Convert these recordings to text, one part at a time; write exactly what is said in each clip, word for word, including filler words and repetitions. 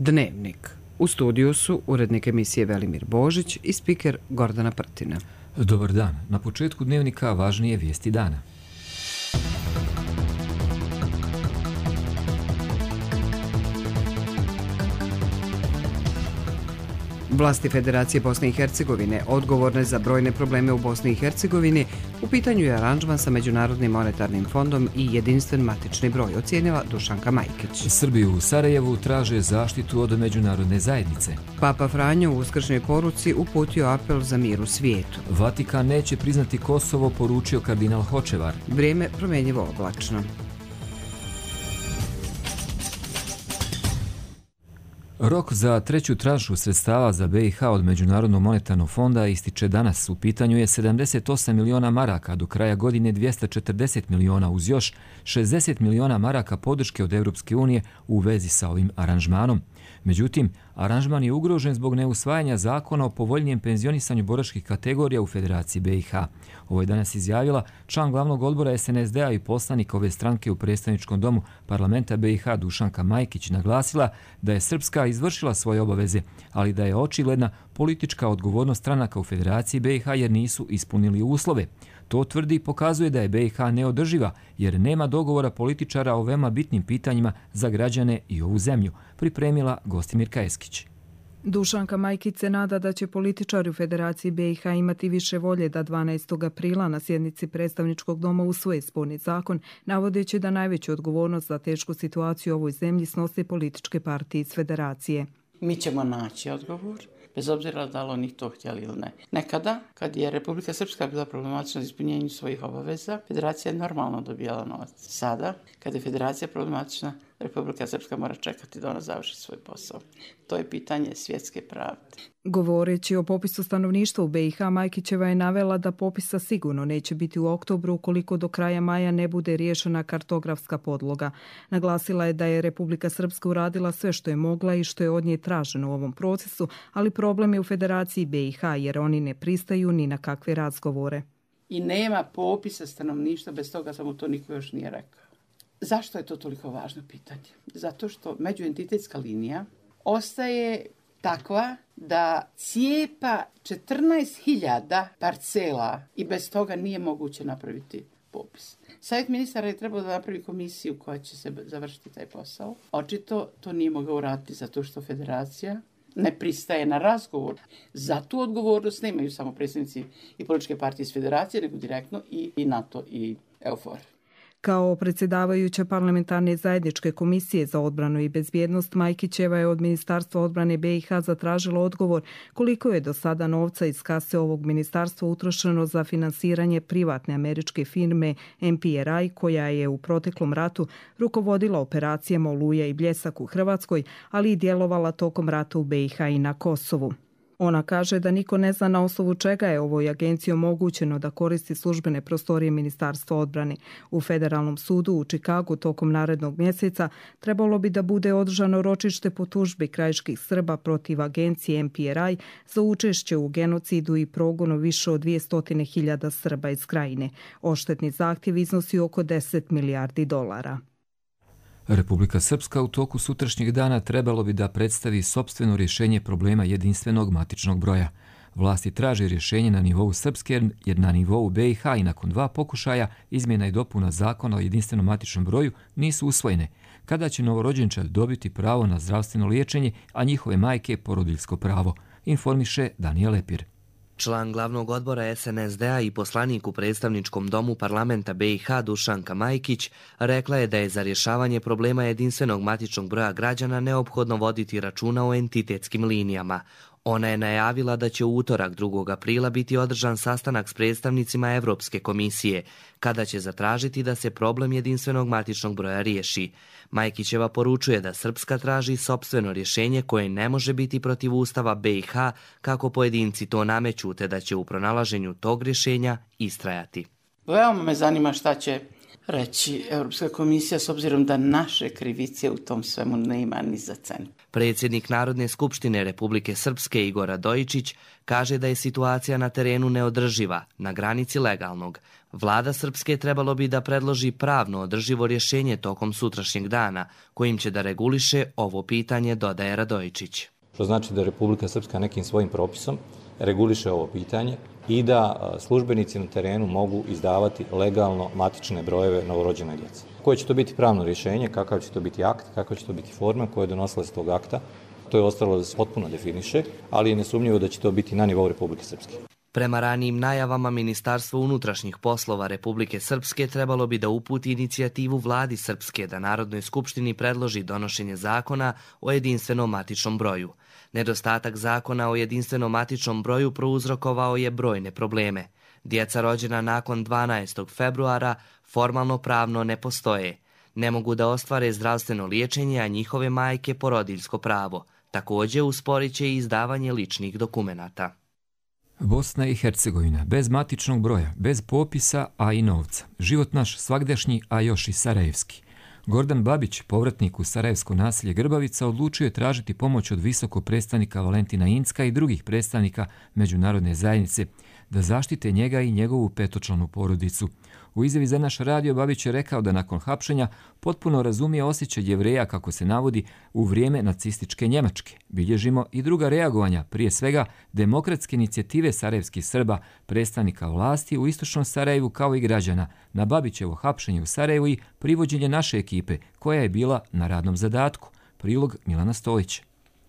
Dnevnik. U studiju su urednik emisije Velimir Božić i spiker Gordana Prtina. Dobar dan. Na početku Dnevnika važnije vijesti dana. Vlasti Federacije Bosne i Hercegovine, odgovorne za brojne probleme u Bosni i Hercegovini, u pitanju je aranžman sa Međunarodnim monetarnim fondom i jedinstven matični broj, ocijenila Dušanka Majkić. Srbi u Sarajevu traže zaštitu od međunarodne zajednice. Papa Franjo u uskršnjoj poruci uputio apel za mir u svijetu. Vatikan neće priznati Kosovo, poručio kardinal Hočevar. Vrijeme promjenjivo oblačno. Rok za treću tranšu sredstava za B i H od Međunarodnog monetarnog fonda ističe danas. U pitanju je sedamdeset osam miliona maraka, do kraja godine dvjesto četrdeset miliona, uz još šezdeset miliona maraka podrške od Europske unije u vezi sa ovim aranžmanom. Međutim, aranžman je ugrožen zbog neusvajanja zakona o povoljnijem penzionisanju boračkih kategorija u Federaciji B i H. Ovo je danas izjavila član glavnog odbora S N S D-a i poslanik ove stranke u predstavničkom domu parlamenta B i H Dušanka Majkić naglasila da je Srpska izvršila svoje obaveze, ali da je očigledna politička odgovornost stranaka u Federaciji B i H jer nisu ispunili uslove. To tvrdi i pokazuje da je B i H neodrživa jer nema dogovora političara o veoma bitnim pitanjima za građane i ovu zemlju, pripremila Gostimirka Eskić. Dušanka Majkić se nada da će političari u Federaciji B i H imati više volje da dvanaestog aprila na sjednici predstavničkog doma usvoje sporni zakon, navodeći da najveću odgovornost za tešku situaciju u ovoj zemlji snose političke partije iz Federacije. Mi ćemo naći odgovor, bez obzira da li oni to htjeli ili ne. Nekada, kad je Republika Srpska bila problematična za ispunjenju svojih obaveza, Federacija je normalno dobijala novac. Sada, kad je Federacija problematična, Republika Srpska mora čekati da ona završi svoj posao. To je pitanje svjetske pravde. Govoreći o popisu stanovništva u B i H, Majkićeva je navela da popisa sigurno neće biti u oktobru ukoliko do kraja maja ne bude riješena kartografska podloga. Naglasila je da je Republika Srpska uradila sve što je mogla i što je od nje traženo u ovom procesu, ali problem je u Federaciji B i H jer oni ne pristaju ni na kakve razgovore. I nema popisa stanovništva, bez toga samo to niko još nije rekao. Zašto je to toliko važno pitanje? Zato što međuentitetska linija ostaje takva da cijepa četrnaest hiljada parcela i bez toga nije moguće napraviti popis. Savjet ministara je trebao da napravi komisiju koja će se završiti taj posao. Očito to nije mogao uraditi zato što Federacija ne pristaje na razgovor. Za tu odgovornost nemaju samo predstavnici i političke partije iz Federacije, nego direktno i, i NATO i EUFOR. Kao predsjedavajuća parlamentarne zajedničke komisije za odbranu i bezbjednost, Majkićeva je od Ministarstva odbrane B i H zatražila odgovor koliko je do sada novca iz kase ovog ministarstva utrošeno za finansiranje privatne američke firme M P R I, koja je u proteklom ratu rukovodila operacijama Oluja i Bljesak u Hrvatskoj, ali i djelovala tokom rata u B i H i na Kosovu. Ona kaže da niko ne zna na osnovu čega je ovoj agenciji omogućeno da koristi službene prostorije Ministarstva odbrane. U Federalnom sudu u Čikagu tokom narednog mjeseca trebalo bi da bude održano ročište po tužbi krajiških Srba protiv agencije M P R I za učešće u genocidu i progonu više od dvjesto hiljada Srba iz krajine. Odštetni zahtjev iznosi oko deset milijardi dolara. Republika Srpska u toku sutrašnjeg dana trebalo bi da predstavi sopstveno rješenje problema jedinstvenog matičnog broja. Vlasti traže rješenje na nivou Srpske jer na nivou B i H i nakon dva pokušaja izmjena i dopuna zakona o jedinstvenom matičnom broju nisu usvojene. Kada će novorođenčad dobiti pravo na zdravstveno liječenje, a njihove majke porodiljsko pravo, informiše Danijel Lepir. Član glavnog odbora S N S D-a i poslanik u predstavničkom domu parlamenta B i H Dušanka Majkić rekla je da je za rješavanje problema jedinstvenog matičnog broja građana neophodno voditi računa o entitetskim linijama. Ona je najavila da će u utorak drugog aprila biti održan sastanak s predstavnicima Evropske komisije, kada će zatražiti da se problem jedinstvenog matičnog broja riješi. Majkićeva poručuje da Srpska traži sopstveno rješenje koje ne može biti protiv Ustava B i H kako pojedinci to nameću, te da će u pronalaženju tog rješenja istrajati. Veoma me zanima šta će reći Europska komisija s obzirom da naše krivice u tom svemu nema ni za cent. Predsjednik Narodne skupštine Republike Srpske Igor Radojičić kaže da je situacija na terenu neodrživa, na granici legalnog. Vlada Srpske trebalo bi da predloži pravno održivo rješenje tokom sutrašnjeg dana, kojim će da reguliše ovo pitanje, dodaje Radojičić. Što znači da Republika Srpska nekim svojim propisom reguliše ovo pitanje i da službenici na terenu mogu izdavati legalno matične brojeve novorođene djece. Koje će to biti pravno rješenje, kakav će to biti akt, kakva će to biti forma koja je donosila se tog akta, to je ostalo da se potpuno definiše, ali je nesumnjivo da će to biti na nivou Republike Srpske. Prema ranijim najavama, Ministarstvo unutrašnjih poslova Republike Srpske trebalo bi da uputi inicijativu Vladi Srpske da Narodnoj skupštini predloži donošenje zakona o jedinstvenom matičnom broju. Nedostatak zakona o jedinstvenom matičnom broju prouzrokovao je brojne probleme. Djeca rođena nakon dvanaestog februara formalno pravno ne postoje. Ne mogu da ostvare zdravstveno liječenje, a njihove majke porodiljsko pravo. Također usporit će i izdavanje ličnih dokumenata. Bosna i Hercegovina, bez matičnog broja, bez popisa, a i novca. Život naš svagdašnji, a još i sarajevski. Gordan Babić, povratnik u sarajevsko naselje Grbavica, odlučio je tražiti pomoć od visokog predstavnika Valentina Incka i drugih predstavnika međunarodne zajednice da zaštite njega i njegovu petočlanu porodicu. U izjavi za naš radio Babić je rekao da nakon hapšenja potpuno razumije osjećaj Jevreja, kako se navodi, u vrijeme nacističke Njemačke. Bilježimo i druga reagovanja, prije svega demokratske inicijative sarajevskih Srba, predstavnika vlasti u istočnom Sarajevu kao i građana, na Babićevo hapšenje u Sarajevu i privođenje naše ekipe, koja je bila na radnom zadatku. Prilog Milana Stojića.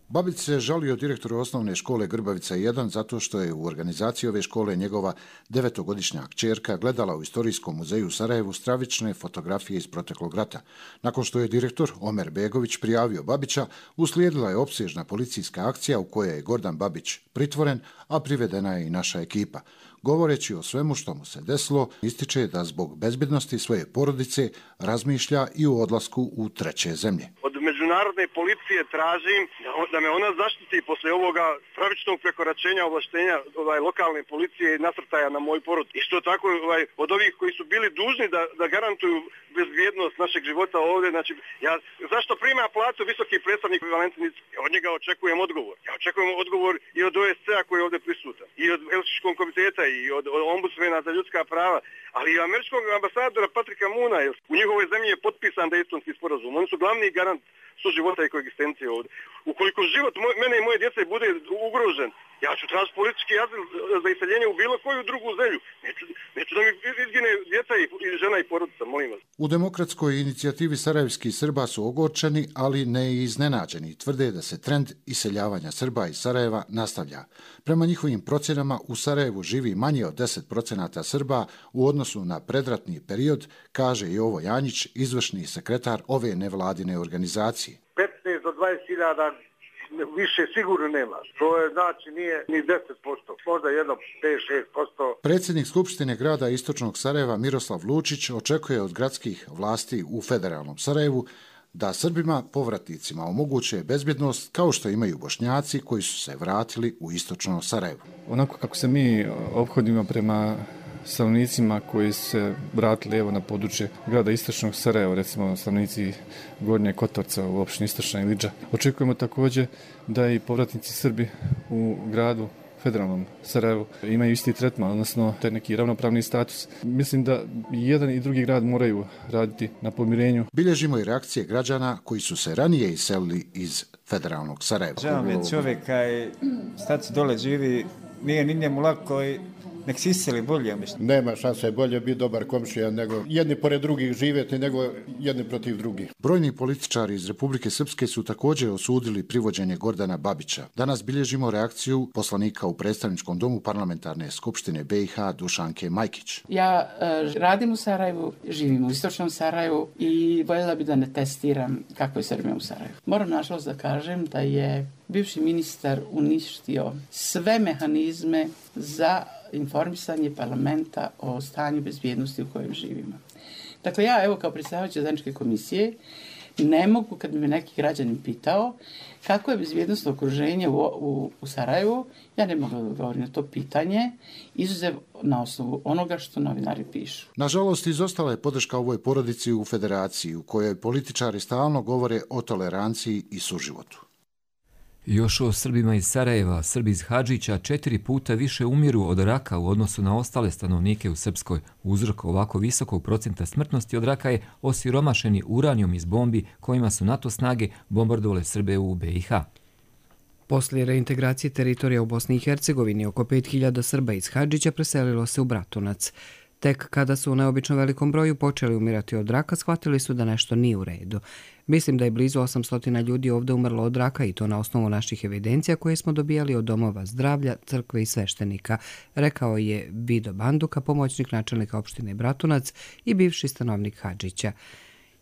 Babić se žalio direktoru osnovne škole Grbavica jedan zato što je u organizaciji ove škole njegova devetogodišnja kćerka gledala u Istorijskom muzeju u Sarajevu stravične fotografije iz proteklog rata. Nakon što je direktor Omer Begović prijavio Babića, uslijedila je opsežna policijska akcija u kojoj je Gordan Babić pritvoren, a privedena je i naša ekipa. Govoreći o svemu što mu se desilo, ističe da zbog bezbednosti svoje porodice razmišlja i o odlasku u treće zemlje. Od međunarodne policije tražim da me ona zaštiti posle ovoga stravičnog prekoračenja ovlaštenja ovaj, lokalne policije i nasrtaja na moj porod. Isto tako ovaj, od ovih koji su bili dužni da, da garantuju bezbjednost našeg života ovdje. Znači, ja, zašto prima platu visoki predstavnik Valentin Incka? Od njega očekujem odgovor. Ja očekujem odgovor i od O S C-a koji je ovdje prisutan, i od Helsinškog komiteta, i od, od ombudsmena za ljudska prava, ali i američkog ambasadora Patrika Moona. U njihovoj zemlji je potpisan Dejtonski sporazum. Oni su glavni garant suživota i koegzistencije ovdje. Ukoliko život moj, mene i moje djece bude ugrožen, ja ću tražiti politički azil za iseljenje u bilo koju drugu zemlju. Neću, neću da mi izgine djeca i, i žena i porodica, molim vas. U demokratskoj inicijativi sarajevskih Srba su ogorčeni, ali ne i iznenađeni. Tvrde da se trend iseljavanja Srba iz Sarajeva nastavlja. Prema njihovim procjenama u Sarajevu živi manje od deset procenata Srba u odnosu na predratni period, kaže Jovo Janjić, izvršni sekretar ove nevladine organizacije. petnaest do dvadeset hiljada više sigurno nema. To je, znači nije ni deset posto, možda jedno pet do šest posto. Predsjednik Skupštine grada Istočnog Sarajeva Miroslav Lučić očekuje od gradskih vlasti u federalnom Sarajevu da Srbima povratnicima omoguće bezbjednost kao što imaju Bošnjaci koji su se vratili u Istočno Sarajevo. Onako kako se mi ophodimo prema stanovnicima koji su se vratili evo na područje grada Istočnog Sarajeva, recimo stanovnici Gornje Kotorca u opštini Istočna Ilidža. Očekujemo također da i povratnici Srbi u gradu federalnom Sarajevu imaju isti tretman, odnosno taj neki ravnopravni status. Mislim da jedan i drugi grad moraju raditi na pomirenju. Bilježimo i reakcije građana koji su se ranije iselili iz federalnog Sarajeva. Žao mi je čovjeka i staci dole živi, nije ni njemu lako i nek si iseli bolje, mislim. Nema šanse bolje biti dobar komšija nego jedni pored drugih živjeti nego jedni protiv drugih. Brojni političari iz Republike Srpske su također osudili privođenje Gordana Babića. Danas bilježimo reakciju poslanika u predstavničkom domu parlamentarne skupštine B i H Dušanke Majkić. Ja uh, radim u Sarajevu, živim u Istočnom Sarajevu i voljela bi da ne testiram kako je Srbija u Sarajevu. Moram nažalost da kažem da je bivši ministar uništio sve mehanizme za informisanje parlamenta o stanju bezbjednosti u kojem živimo. Dakle, ja evo kao predsjedavajuća zajedničke komisije ne mogu, kad bi me neki građanin pitao kako je bezbjednosno okruženje u, u, u Sarajevu, ja ne mogu da odgovorim na to pitanje, izuzev na osnovu onoga što novinari pišu. Nažalost, izostala je podrška ovoj porodici u federaciji, u kojoj političari stalno govore o toleranciji i suživotu. Još o Srbima iz Sarajeva, Srbi iz Hadžića četiri puta više umiru od raka u odnosu na ostale stanovnike u Srpskoj. Uzrok ovako visokog procenta smrtnosti od raka je osiromašeni uranijum iz bombi kojima su NATO snage bombardovale Srbe u B i H. Poslije reintegracije teritorija u Bosni i Hercegovini, oko pet hiljada Srba iz Hadžića preselilo se u Bratunac. Tek kada su u neobično velikom broju počeli umirati od raka, shvatili su da nešto nije u redu. Mislim da je blizu osamsto ljudi ovdje umrlo od raka i to na osnovu naših evidencija koje smo dobijali od domova zdravlja, crkve i sveštenika, rekao je Vido Banduka, pomoćnik načelnika opštine Bratunac i bivši stanovnik Hadžića.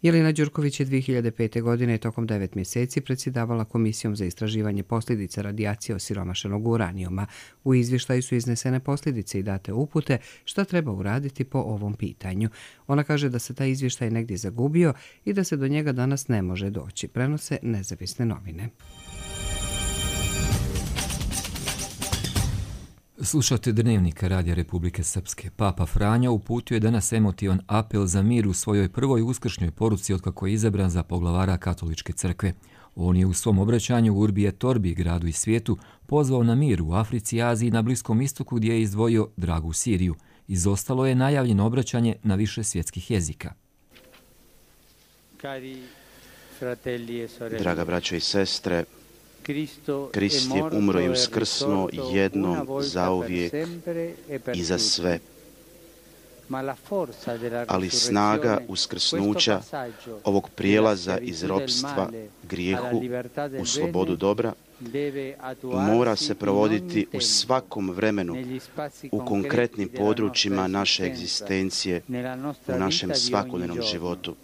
Jelena Đurković je dvije hiljade pete. godine tokom devet mjeseci predsjedavala Komisijom za istraživanje posljedica radijacije osiromašenog uranijuma. U izvještaju su iznesene posljedice i date upute šta treba uraditi po ovom pitanju. Ona kaže da se taj izvještaj negdje zagubio i da se do njega danas ne može doći, prenose nezavisne novine. Slušate Dnevnika Radija Republike Srpske. Papa Franjo uputio je danas emotivan apel za mir u svojoj prvoj uskršnjoj poruci otkako je izabran za poglavara Katoličke crkve. On je u svom obraćanju u Urbi et Orbi, gradu i svijetu, pozvao na mir u Africi, Aziji i na Bliskom istoku gdje je izdvojio dragu Siriju. Izostalo je najavljeno obraćanje na više svjetskih jezika. Draga braćo i sestre, Krist je umro i uskrsnuo jednom zauvijek i za sve. Ali snaga uskrsnuća ovog prijelaza iz ropstva grijehu u slobodu dobra mora se provoditi u svakom vremenu, u konkretnim područjima naše egzistencije, u našem svakodnevnom životu.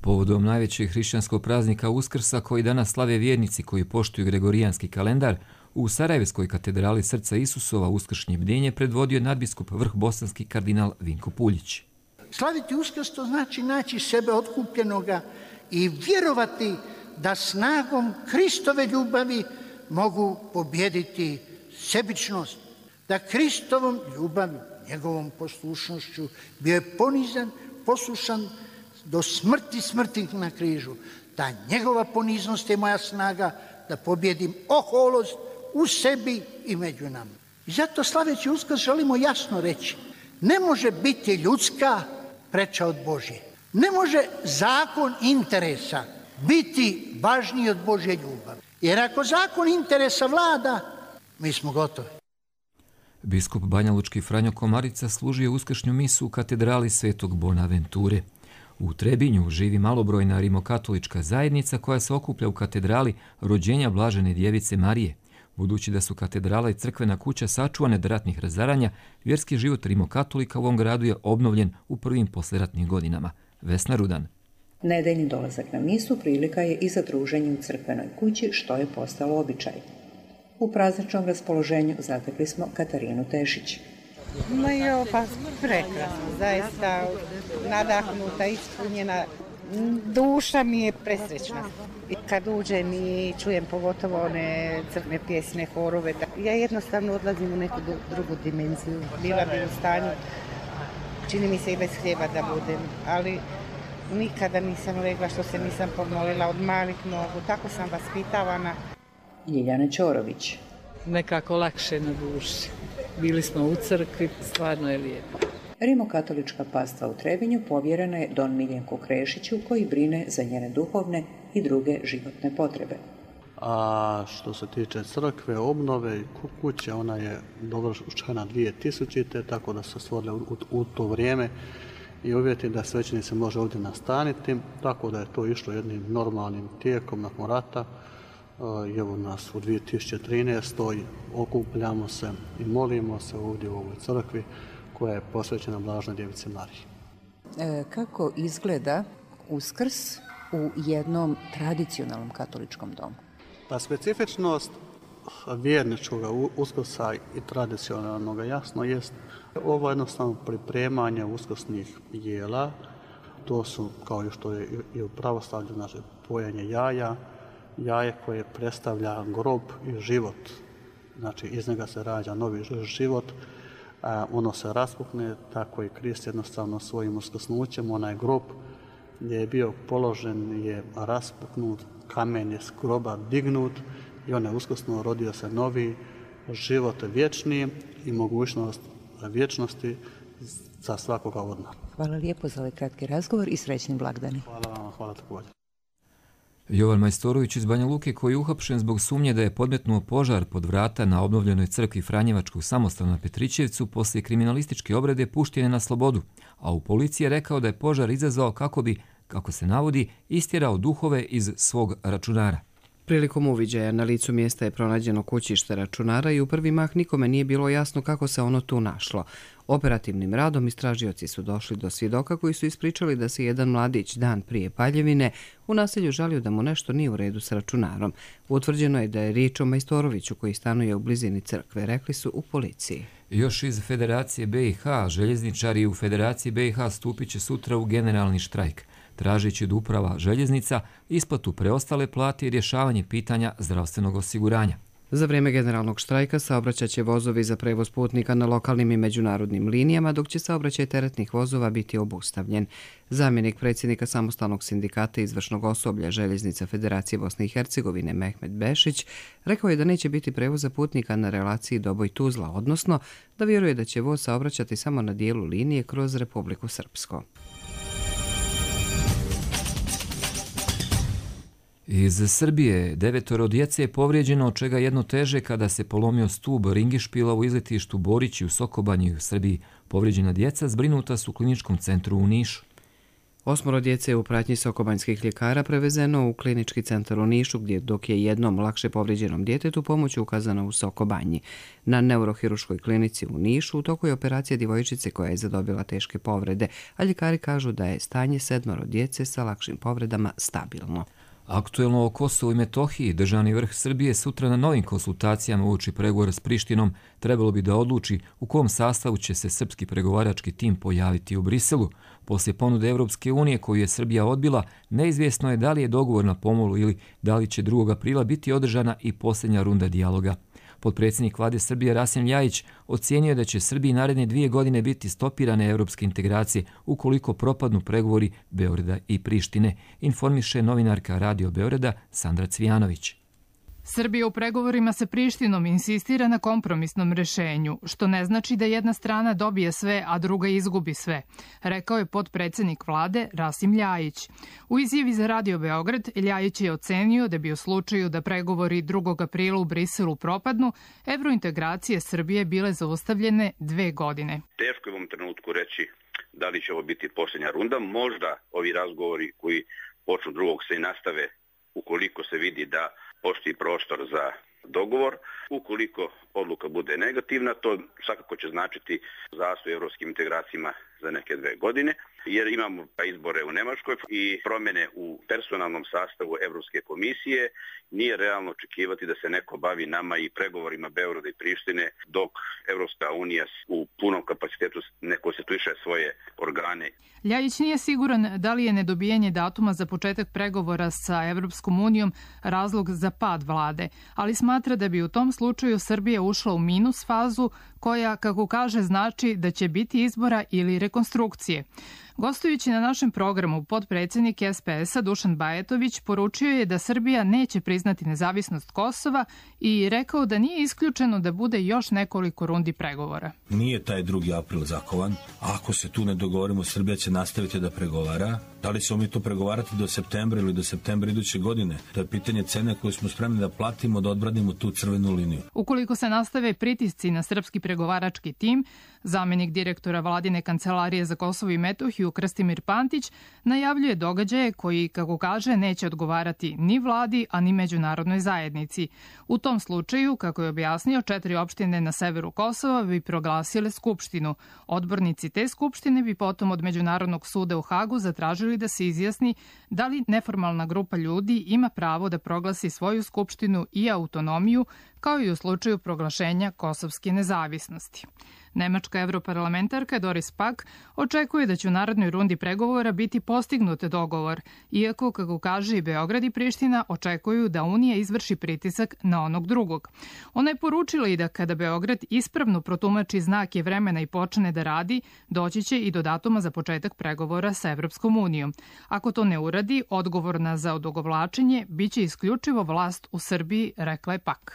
Povodom najvećeg hrišćanskog praznika Uskrsa koji danas slave vjernici koji poštuju gregorijanski kalendar, u Sarajevskoj katedrali Srca Isusova uskršnje bdjenje predvodio je nadbiskup vrhbosanski kardinal Vinko Puljić. Slaviti Uskrs to znači naći sebe otkupljenoga i vjerovati da snagom Kristove ljubavi mogu pobijediti sebičnost. Da Kristovom ljubavi, njegovom poslušnošću bio je ponizan, poslušan do smrti smrti na križu. Ta njegova poniznost je moja snaga da pobjedim oholost u sebi i među nama. I zato slaveći Uskrs želimo jasno reći, ne može biti ljudska preča od Božje. Ne može zakon interesa biti važniji od Božje ljubavi. Jer ako zakon interesa vlada, mi smo gotovi. Biskup banjalučki Franjo Komarica služio uskršnju misu u katedrali Svetog Bonaventure. U Trebinju živi malobrojna rimokatolička zajednica koja se okuplja u katedrali rođenja Blažene djevice Marije. Budući da su katedrala i crkvena kuća sačuvane od ratnih razaranja, vjerski život rimokatolika u ovom gradu je obnovljen u prvim poslijeratnim godinama. Vesna Rudan. Nedeljni dolazak na misu prilika je i za druženje u crkvenoj kući, što je postalo običaj. U prazničnom raspoloženju zatekli smo Katarinu Tešić. No jo, pa prekrasno, zaista nadahnuta, ispunjena, duša mi je presrećna. I kad uđem i čujem pogotovo one crkvene pjesme, horove, ja jednostavno odlazim u neku drugu dimenziju. Bila bi u stanju, čini mi se i bez hljeba da budem, ali nikada nisam legla što se nisam pomolila od malih nogu, tako sam vaspitavana. Ljiljana Ćorović. Nekako lakše na duši. Bili smo u crkvi, stvarno je lijepo. Rimokatolička pastva u Trebinju povjerena je don Miljenku Krešiću koji brine za njene duhovne i druge životne potrebe. A što se tiče crkve, obnove i kuće, ona je dovršena dvije tisućite. tako da se stvorile u, u to vrijeme i uvjeti da svećenik se može ovdje nastaniti, tako da je to išlo jednim normalnim tijekom nakon rata. I evo nas u dvije tisuće trinaestoj. okupljamo se i molimo se ovdje u ovoj crkvi koja je posvećena Blaženoj djevici Mariji. E, kako izgleda Uskrs u jednom tradicionalnom katoličkom domu? Pa specifičnost vjerničkog Uskrsa i tradicionalnog jasno jest ovo jednostavno pripremanje uskrsnih jela. To su, kao i što je i u pravoslavlju, znači pojenje jaja, jaje koje predstavlja grob i život. Znači iz njega se rađa novi život, a ono se raspukne, tako i Krist jednostavno svojim uskrsnućem, onaj grob gdje je bio položen je raspuknut, kamen je s groba dignut i on je uskrsnuo, rodio se novi život vječni i mogućnost vječnosti za svakoga od nas. Hvala lijepo za ovaj kratki razgovor i srećni blagdani. Hvala vam, hvala također. Jovan Majstorović iz Banja Luke, koji je uhapšen zbog sumnje da je podmetnuo požar pod vrata na obnovljenoj crkvi Franjevačkog samostana na Petrićevcu, poslije kriminalističke obrade pušten je na slobodu, a u policiji je rekao da je požar izazvao kako bi, kako se navodi, istjerao duhove iz svog računara. Prilikom uviđaja na licu mjesta je pronađeno kućište računara i u prvi mah nikome nije bilo jasno kako se ono tu našlo. Operativnim radom istražioci su došli do svjedoka koji su ispričali da se jedan mladić dan prije paljevine u naselju žalio da mu nešto nije u redu s računarom. Utvrđeno je da je riječ o Majstoroviću koji stanuje u blizini crkve, rekli su u policiji. Još iz Federacije B i H, željezničari u Federaciji B i H stupit će sutra u generalni štrajk, tražeći od uprava željeznica isplatu preostale plate i rješavanje pitanja zdravstvenog osiguranja. Za vrijeme generalnog štrajka saobraćat će vozovi za prevoz putnika na lokalnim i međunarodnim linijama, dok će saobraćaj teretnih vozova biti obustavljen. Zamjenik predsjednika samostalnog sindikata izvršnog osoblja Željeznica Federacije Bosne i Hercegovine Mehmet Bešić rekao je da neće biti prevoza putnika na relaciji Doboj-Tuzla, odnosno da vjeruje da će voz saobraćati samo na dijelu linije kroz Republiku Srpsko. Iz Srbije devetoro djece je povrijeđeno, od čega jedno teže kada se polomio stub ringišpila u izletištu Borići u Sokobanji u Srbiji. Povrijeđena djeca zbrinuta su u kliničkom centru u Nišu. Osmoro djece je u pratnji sokobanjskih ljekara prevezeno u klinički centar u Nišu, gdje dok je jednom lakše povrijeđenom djetetu pomoć ukazana u Sokobanji. Na neurohiruškoj klinici u Nišu u toku je operacija djevojčice koja je zadobila teške povrede, a ljekari kažu da je stanje sedmoro djece sa lakšim povredama stabilno. Aktuelno o Kosovu i Metohiji, državni vrh Srbije sutra na novim konsultacijama uoči pregovora s Prištinom trebalo bi da odluči u kom sastavu će se srpski pregovarački tim pojaviti u Briselu. Poslije ponude Evropske unije koju je Srbija odbila, neizvjesno je da li je dogovor na pomolu ili da li će drugog aprila biti održana i posljednja runda dijaloga. Potpredsjednik vlade Srbije Rasim Ljajić ocijenio je da će Srbiji naredne dvije godine biti stopirane evropske integracije ukoliko propadnu pregovori Beograda i Prištine, informiše novinarka Radio Beograda Sandra Cvijanović. Srbija u pregovorima sa Prištinom insistira na kompromisnom rešenju, što ne znači da jedna strana dobije sve, a druga izgubi sve, rekao je potpredsjednik vlade Rasim Ljajić. U izjavi za Radio Beograd, Ljajić je ocenio da bi u slučaju da pregovori drugog aprila u Briselu propadnu, evrointegracije Srbije bile zaustavljene dve godine. Teško je u ovom trenutku reći da li će ovo biti posljednja runda. Možda ovi razgovori koji počnu drugog se i nastave ukoliko se vidi da postoji prostor za dogovor. Ukoliko odluka bude negativna, to svakako će značiti zastoj evropskim integracijama za neke dve godine, jer imamo izbore u Nemačkoj i promjene u personalnom sastavu Evropske komisije. Nije realno očekivati da se neko bavi nama i pregovorima Beograda i Prištine dok Evropska unija u punom kapacitetu ne konstituiše svoje organe. Ljajić nije siguran da li je nedobijanje datuma za početak pregovora sa Evropskom unijom razlog za pad vlade, ali smatra da bi u tom slučaju Srbija ušla u minus fazu koja, kako kaže, znači da će biti izbora ili rekonstrukcije. Gostujući na našem programu, potpredsjednik S P S-a Dušan Bajatović poručio je da Srbija neće priznati nezavisnost Kosova i rekao da nije isključeno da bude još nekoliko rundi pregovora. Nije taj drugi april zakovan. Ako se tu ne dogovorimo, Srbija će nastaviti da pregovara. Da li ćemo mi to pregovarati do septembra ili do septembra iduće godine? To je pitanje cene koju smo spremni da platimo, da odbranimo tu crvenu liniju. Ukoliko se nastave pritisci na srpski pregovarački tim, zamjenik direktora Vladine kancelarije za Kosovo i Metohiju Krstimir Pantić najavljuje događaje koji, kako kaže, neće odgovarati ni vladi, a ni međunarodnoj zajednici. U tom slučaju, kako je objasnio, četiri opštine na severu Kosova bi proglasile skupštinu. Odbornici te skupštine bi potom od Međunarodnog suda u Hagu zatražili da se izjasni da li neformalna grupa ljudi ima pravo da proglasi svoju skupštinu i autonomiju kao i u slučaju proglašenja kosovske nezavisnosti. Nemačka europarlamentarka Doris Pack očekuje da će u narednoj rundi pregovora biti postignut dogovor, iako, kako kaže i Beograd i Priština, očekuju da Unija izvrši pritisak na onog drugog. Ona je poručila i da kada Beograd ispravno protumači znake vremena i počne da radi, doći će i do datuma za početak pregovora sa Evropskom unijom. Ako to ne uradi, odgovorna za odugovlačenje biće isključivo vlast u Srbiji, rekla je Pack.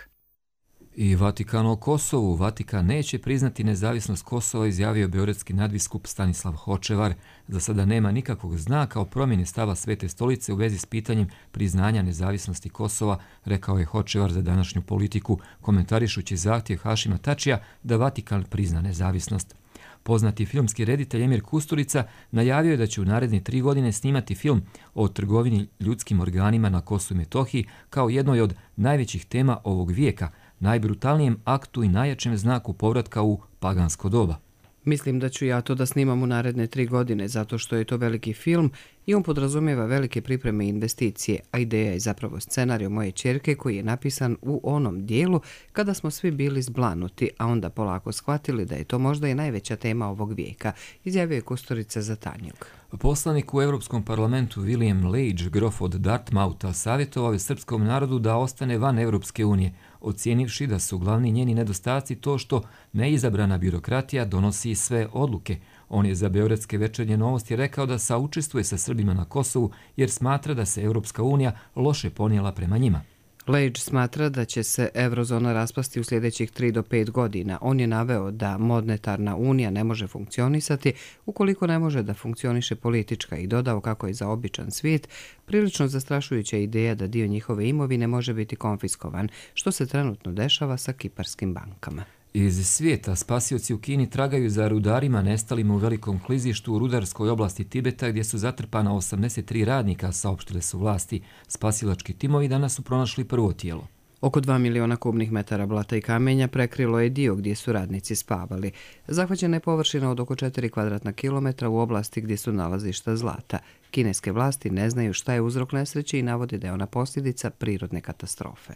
I Vatikan o Kosovu. Vatikan neće priznati nezavisnost Kosova, izjavio beogradski nadbiskup Stanislav Hočevar. Za sada nema nikakvog znaka o promjeni stava Svete stolice u vezi s pitanjem priznanja nezavisnosti Kosova, rekao je Hočevar za današnju Politiku, komentarišući zahtjev Hašima Tačija da Vatikan prizna nezavisnost. Poznati filmski reditelj Emir Kusturica najavio je da će u naredne tri godine snimati film o trgovini ljudskim organima na Kosovu i Metohiji kao jednoj od najvećih tema ovog vijeka, najbrutalnijem aktu i najjačem znaku povratka u pagansko doba. Mislim da ću ja to da snimam u naredne tri godine, zato što je to veliki film i on podrazumijeva velike pripreme i investicije, a ideja je zapravo scenarij moje ćerke koji je napisan u onom dijelu kada smo svi bili zblanuti, a onda polako shvatili da je to možda i najveća tema ovog vijeka, izjavio je Kusturica za Tanjug. Poslanik u Europskom parlamentu William Lage, grof od Dartmoutha, savjetovao je srpskom narodu da ostane van Europske unije, ocijenivši da su glavni njeni nedostaci to što neizabrana birokratija donosi sve odluke. On je za Beogradske večernje novosti rekao da saučestvuje sa Srbima na Kosovu jer smatra da se Europska unija loše ponijela prema njima. Lage smatra da će se eurozona raspasti u sljedećih tri do pet godina. On je naveo da monetarna unija ne može funkcionisati ukoliko ne može da funkcioniše politička i dodao kako je za običan svijet prilično zastrašujuća ideja da dio njihove imovine može biti konfiskovan, što se trenutno dešava sa kiparskim bankama. Iz svijeta spasioci u Kini tragaju za rudarima nestalima u velikom klizištu u rudarskoj oblasti Tibeta gdje su zatrpana osamdeset tri radnika, saopštile su vlasti. Spasilački timovi danas su pronašli prvo tijelo. Oko dva miliona kubnih metara blata i kamenja prekrilo je dio gdje su radnici spavali. Zahvaćena je površina od oko četiri kvadratna kilometra u oblasti gdje su nalazišta zlata. Kineske vlasti ne znaju šta je uzrok nesreće i navode da je ona posljedica prirodne katastrofe.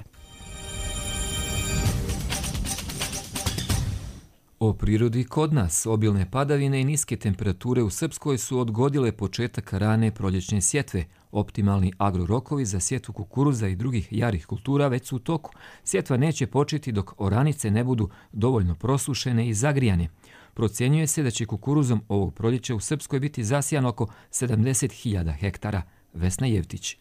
O prirodi kod nas, obilne padavine i niske temperature u Srpskoj su odgodile početak rane proljećne sjetve. Optimalni agrorokovi za sjetvu kukuruza i drugih jarih kultura već su u toku. Sjetva neće početi dok oranice ne budu dovoljno prosušene i zagrijane. Procjenjuje se da će kukuruzom ovog proljeća u Srpskoj biti zasijan oko sedamdeset hiljada hektara. Vesna Jevtić.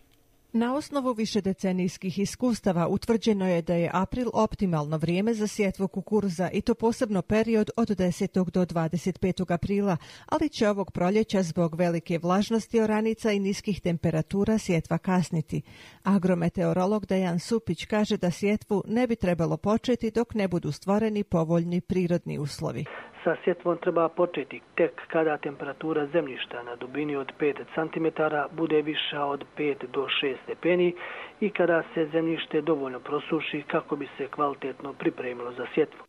Na osnovu višedecenijskih iskustava utvrđeno je da je april optimalno vrijeme za sjetvu kukuruza i to posebno period od desetog do dvadeset petog aprila, ali će ovog proljeća zbog velike vlažnosti oranica i niskih temperatura sjetva kasniti. Agrometeorolog Dejan Supić kaže da sjetvu ne bi trebalo početi dok ne budu stvoreni povoljni prirodni uslovi. Sa sjetvom treba početi tek kada temperatura zemljišta na dubini od pet centimetara bude viša od pet do šest stepeni i kada se zemljište dovoljno prosuši kako bi se kvalitetno pripremilo za sjetvu.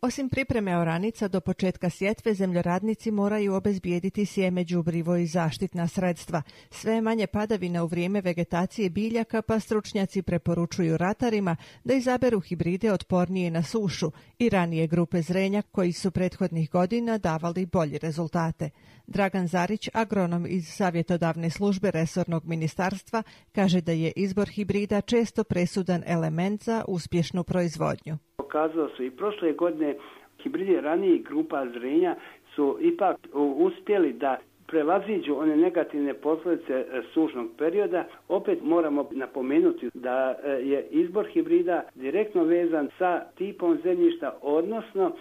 Osim pripreme oranica, do početka sjetve zemljoradnici moraju obezbijediti sjeme, đubrivo i zaštitna sredstva. Sve manje padavina u vrijeme vegetacije biljaka, pa stručnjaci preporučuju ratarima da izaberu hibride otpornije na sušu i ranije grupe zrenja koji su prethodnih godina davali bolje rezultate. Dragan Zarić, agronom iz savjetodavne službe resornog ministarstva, kaže da je izbor hibrida često presudan element za uspješnu proizvodnju. Pokazalo su i prošle godine hibridi ranijih grupa zrenja su ipak uspjeli da prevaziđu one negativne posljedice sušnog perioda. Opet moramo napomenuti da je izbor hibrida direktno vezan sa tipom zemljišta, odnosno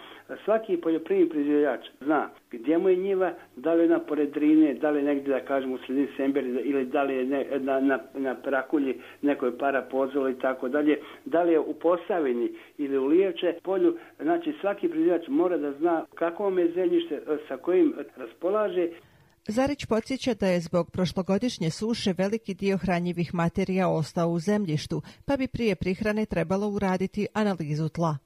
svaki poljoprivredni proizvođač zna gdje mu je njiva, da li je na pored Drine, da li je negdje, da kažemo, u sredini Semberi ili da li je ne, na, na, na Prakulji nekoj para pozolo i tako dalje, da li je u Posavini ili u Lijevče polju. Znači svaki proizvođač mora da zna kakvo je zemljište sa kojim raspolaže. Zarić podsjeća da je zbog prošlogodišnje suše veliki dio hranjivih materija ostao u zemljištu, pa bi prije prihrane trebalo uraditi analizu tla.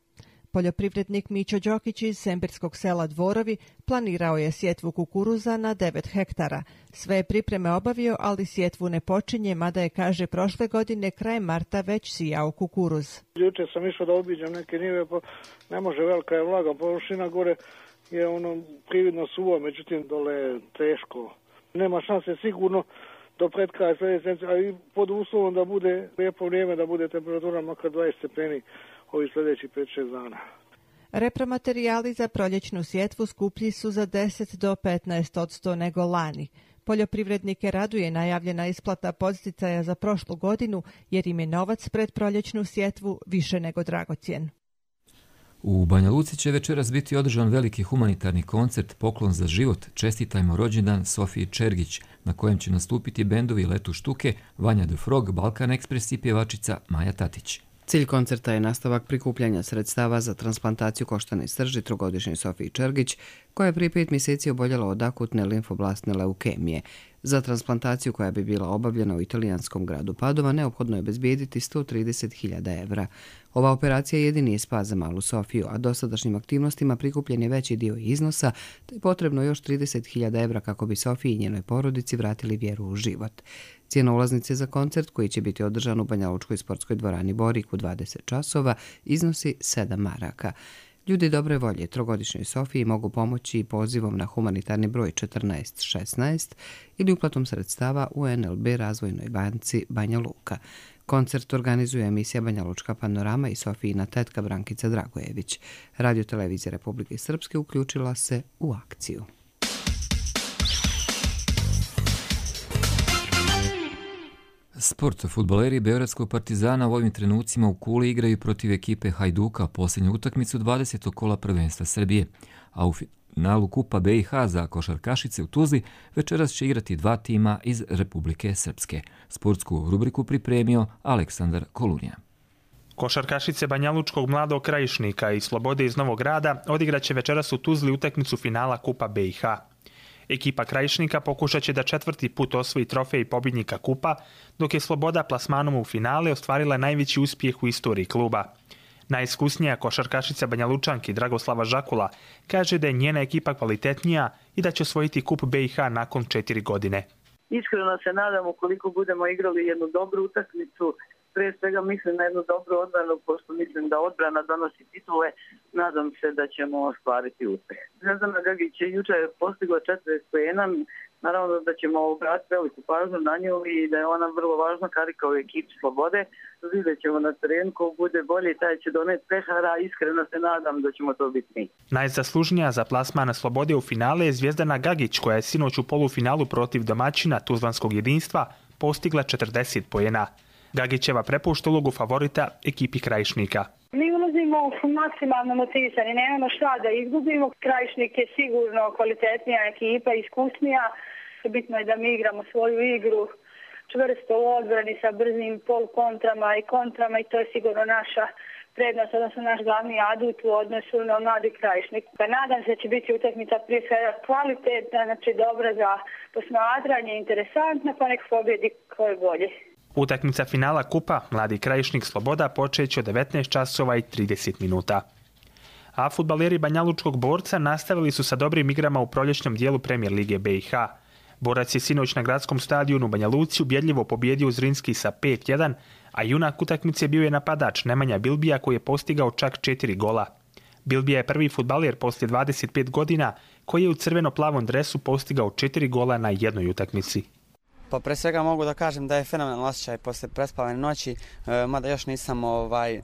Poljoprivrednik Mićo Đokić iz sembirskog sela Dvorovi planirao je sjetvu kukuruza na devet hektara. Sve pripreme obavio, ali sjetvu ne počinje, mada je, kaže, prošle godine krajem marta već sijao kukuruz. Juče sam išao da obiđem neke njive, pa ne može, velika je vlaga, površina gore je ono prividno suvo, međutim dole je teško. Nema šanse sigurno do pred kraja sljedeće, a i pod uslovom da bude lijepo vrijeme, da bude temperatura makar dvadeset stepeni ovi sljedeći pet šest dana. Repromaterijali za proljećnu sjetvu skuplji su za deset do petnaest odsto nego lani. Poljoprivrednike raduje najavljena isplata podsticaja za prošlu godinu, jer im je novac pred proljećnu sjetvu više nego dragocjen. U Banja Luci će večeras biti održan veliki humanitarni koncert Poklon za život, čestitajmo rođendan Sofiji Čergić, na kojem će nastupiti bendovi Letu Štuke, Vanja the Frog, Balkan Express i pjevačica Maja Tatić. Cilj koncerta je nastavak prikupljanja sredstava za transplantaciju koštane srži trogodišnjoj Sofiji Čergić, koja je prije pet mjeseci oboljela od akutne limfoblastne leukemije. Za transplantaciju koja bi bila obavljena u italijanskom gradu Padova neophodno je obezbijediti sto trideset hiljada evra. Ova operacija jedini je spas za malu Sofiju, a dosadašnjim aktivnostima prikupljen je veći dio iznosa, te je potrebno još trideset hiljada evra kako bi Sofiji i njenoj porodici vratili vjeru u život. Cijena ulaznice za koncert, koji će biti održan u Banjalučkoj sportskoj dvorani Borik u dvadeset časova, iznosi sedam maraka. Ljudi dobre volje trogodišnjoj Sofiji mogu pomoći pozivom na humanitarni broj četrnaest šesnaest ili uplatom sredstava u en el be Razvojnoj banci Banja Luka. Koncert organizuje emisija Banja Lučka panorama i Sofijina tetka Brankica Dragojević. Radio televizija Republike Srpske uključila se u akciju. Sport. Fudbaleri Beogradskog Partizana u ovim trenucima u Kuli igraju protiv ekipe Hajduka posljednju utakmicu dvadesetog kola prvenstva Srbije, a u finalu Kupa be i ha za košarkašice u Tuzli večeras će igrati dva tima iz Republike Srpske. Sportsku rubriku pripremio Aleksandar Kolunija. Košarkašice Banjalučkog Mladog Krajišnika i Slobode iz Novog Grada odigraće večeras u Tuzli utakmicu finala Kupa be i ha. Ekipa Krajišnika pokušat će da četvrti put osvoji trofej pobjednika kupa, dok je Sloboda plasmanom u finale ostvarila najveći uspjeh u istoriji kluba. Najiskusnija košarkašica Banjalučanki Dragoslava Žakula kaže da je njena ekipa kvalitetnija i da će osvojiti kup be i ha nakon četiri godine. Iskreno se nadam, ukoliko budemo igrali jednu dobru utakmicu, prije svega mislim na jednu dobru odbranu, pošto mislim da odbrana donosi titule, nadam se da ćemo ostvariti uspjeh. Zvezdana Gagić je juče postigla četrdeset poena, naravno da ćemo obratiti veliku pažnju na nju i da je ona vrlo važna karika u ekipi Slobode. Vidjet ćemo na terenu, ko bude bolji, taj će doneti pehara, iskreno se nadam da ćemo to biti mi. Najzaslužnija za plasmana Slobode u finale je Zvezdana Gagić, koja je sinoć u polufinalu protiv domaćina Tuzlanskog jedinstva postigla četrdeset poena. Gagićeva prepušta ulogu favorita ekipi Krajišnika. Mi ulazimo maksimalno motivisani, nemamo šta da izgubimo. Krajišnik je sigurno kvalitetnija ekipa, iskusnija. Bitno je da mi igramo svoju igru čvrsto u odbrani sa brzim polukontrama i kontrama i to je sigurno naša prednost, odnosno naš glavni adut u odnosu na Mladi Krajišnik. Nadam se da će biti utakmica prije svega kvalitetna, znači dobra za posmatranje, interesantna, pa nek pobjedi ko je bolje. Utakmica finala kupa Mladi Krajišnik Sloboda počeće od devetnaest časova i trideset minuta. A fudbaleri Banjalučkog Borca nastavili su sa dobrim igrama u proljećnom dijelu Premijer lige be i ha. Borac je sinoć na gradskom stadionu u Banja Luci ubjedljivo pobjedio Zrinski sa pet jedan, a junak utakmice bio je napadač Nemanja Bilbija koji je postigao čak četiri gola. Bilbija je prvi fudbaler poslije dvadeset pet godina koji je u crveno-plavom dresu postigao četiri gola na jednoj utakmici. Pa pre svega mogu da kažem da je fenomenalno osjećaj posle prespavane noći, e, mada još nisam ovaj,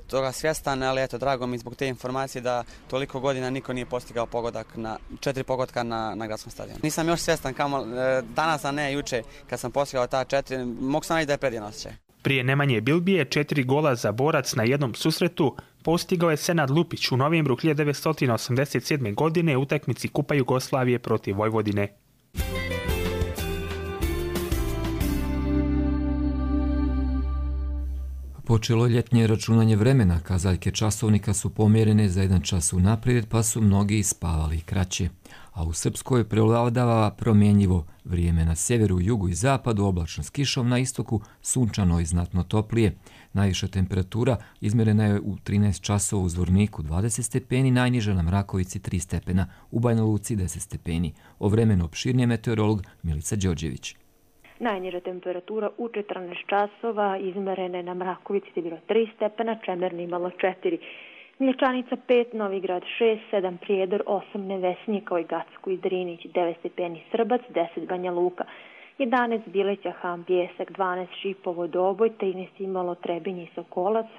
toga svjestan, ali eto, drago mi zbog te informacije da toliko godina niko nije postigao pogodak na, četiri pogotka na, na gradskom stadionu. Nisam još svjestan kamo e, danas, a ne juče kad sam postigao ta četiri, mogu sam reći da je predivan osjećaj. Prije Nemanje Bilbije četiri gola za Borac na jednom susretu postigao je Senad Lupić u novembru hiljadu devetsto osamdeset sedme. godine u utakmici Kupa Jugoslavije protiv Vojvodine. Počelo je ljetnje računanje vremena, kazaljke časovnika su pomjerene za jedan čas unaprijed, pa su mnogi spavali kraće. A u Srpskoj prevladava promjenjivo vrijeme na sjeveru, jugu i zapadu, oblačno s kišom, na istoku sunčano i znatno toplije. Najviša temperatura izmjerena je u trinaest časova u Zvorniku dvadeset stepeni, najniža na Mrakovici tri stepena, u Banja Luci deset stepeni. O vremenu opširnije meteorolog Milica Đorđević. Najniža temperatura u četrnaest časova izmerene na Mrakovici je bilo tri stepena, Čemerni imalo četiri. Mlječanica pet, Novigrad šest, sedam Prijedor, osam Nevesnik, kao i Gacko i Drinić, devet stepeni Srbac, deset Banja Luka, jedanaest Bileća, Ham, Bljesak, dvanaest Šipovo, Doboj, trinaest imalo Trebinje i Sokolac,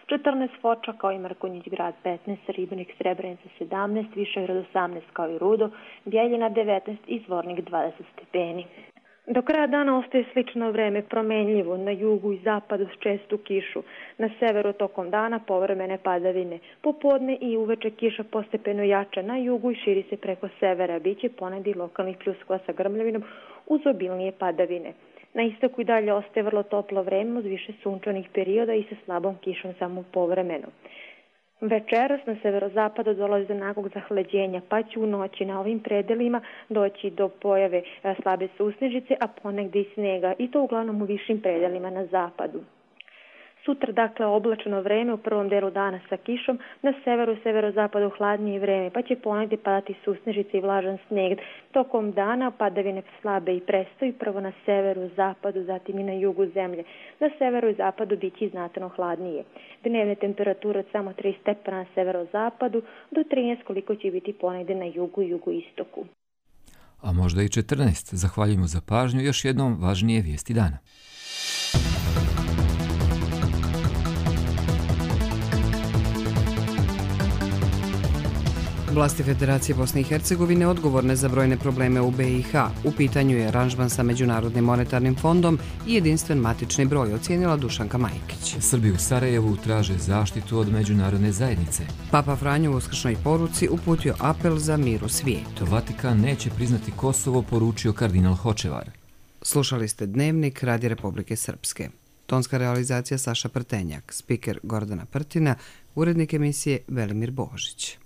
četrnaest Foča kao i Mrkonjić grad, petnaest Ribnik, Srebrenica sedamnaest, Višegrad osamnaest kao i Rudo, Bjeljina devetnaest i Zvornik dvadeset stepeni. Do kraja dana ostaje slično vreme, promenljivo, na jugu i zapadu s čestu kišu, na severu tokom dana povremene padavine, popodne i uveče kiša postepeno jača na jugu i širi se preko severa, biće ponedi lokalnih pljuskova sa grmljavinom uz obilnije padavine. Na istoku i dalje ostaje vrlo toplo vreme uz više sunčanih perioda i sa slabom kišom samo povremeno. Večeras na severozapadu dolazi do naglog zahlađenja, pa će u noći na ovim predelima doći do pojave slabe susnežice, a ponegdje i snega, i to uglavnom u višim predelima na zapadu. Sutra, dakle, oblačno vreme u prvom delu dana sa kišom, na severu i severozapadu hladnije vreme, pa će ponegdje padati susnežice i vlažan sneg. Tokom dana padavine slabe i prestaju, prvo na severu, zapadu, zatim i na jugu zemlje. Na severu i zapadu biće znatno hladnije. Dnevne temperature od samo tri stepena na severozapadu do trinaest koliko će biti ponegdje na jugu i jugoistoku. A možda i četrnaest. Zahvaljujemo za pažnju. Još jednom važnije vijesti dana. Vlasti Federacije Bosne i Hercegovine odgovorne za brojne probleme u be i ha. U pitanju je aranžman sa Međunarodnim monetarnim fondom i jedinstven matični broj, ocijenila Dušanka Majkić. Srbi u Sarajevu traže zaštitu od međunarodne zajednice. Papa Franjo u uskršnjoj poruci uputio apel za mir u svijetu. Vatikan neće priznati Kosovo, poručio kardinal Hočevar. Slušali ste Dnevnik Radi Republike Srpske. Tonska realizacija Saša Prtenjak, spiker Gordana Prtina, urednik emisije Velimir Božić.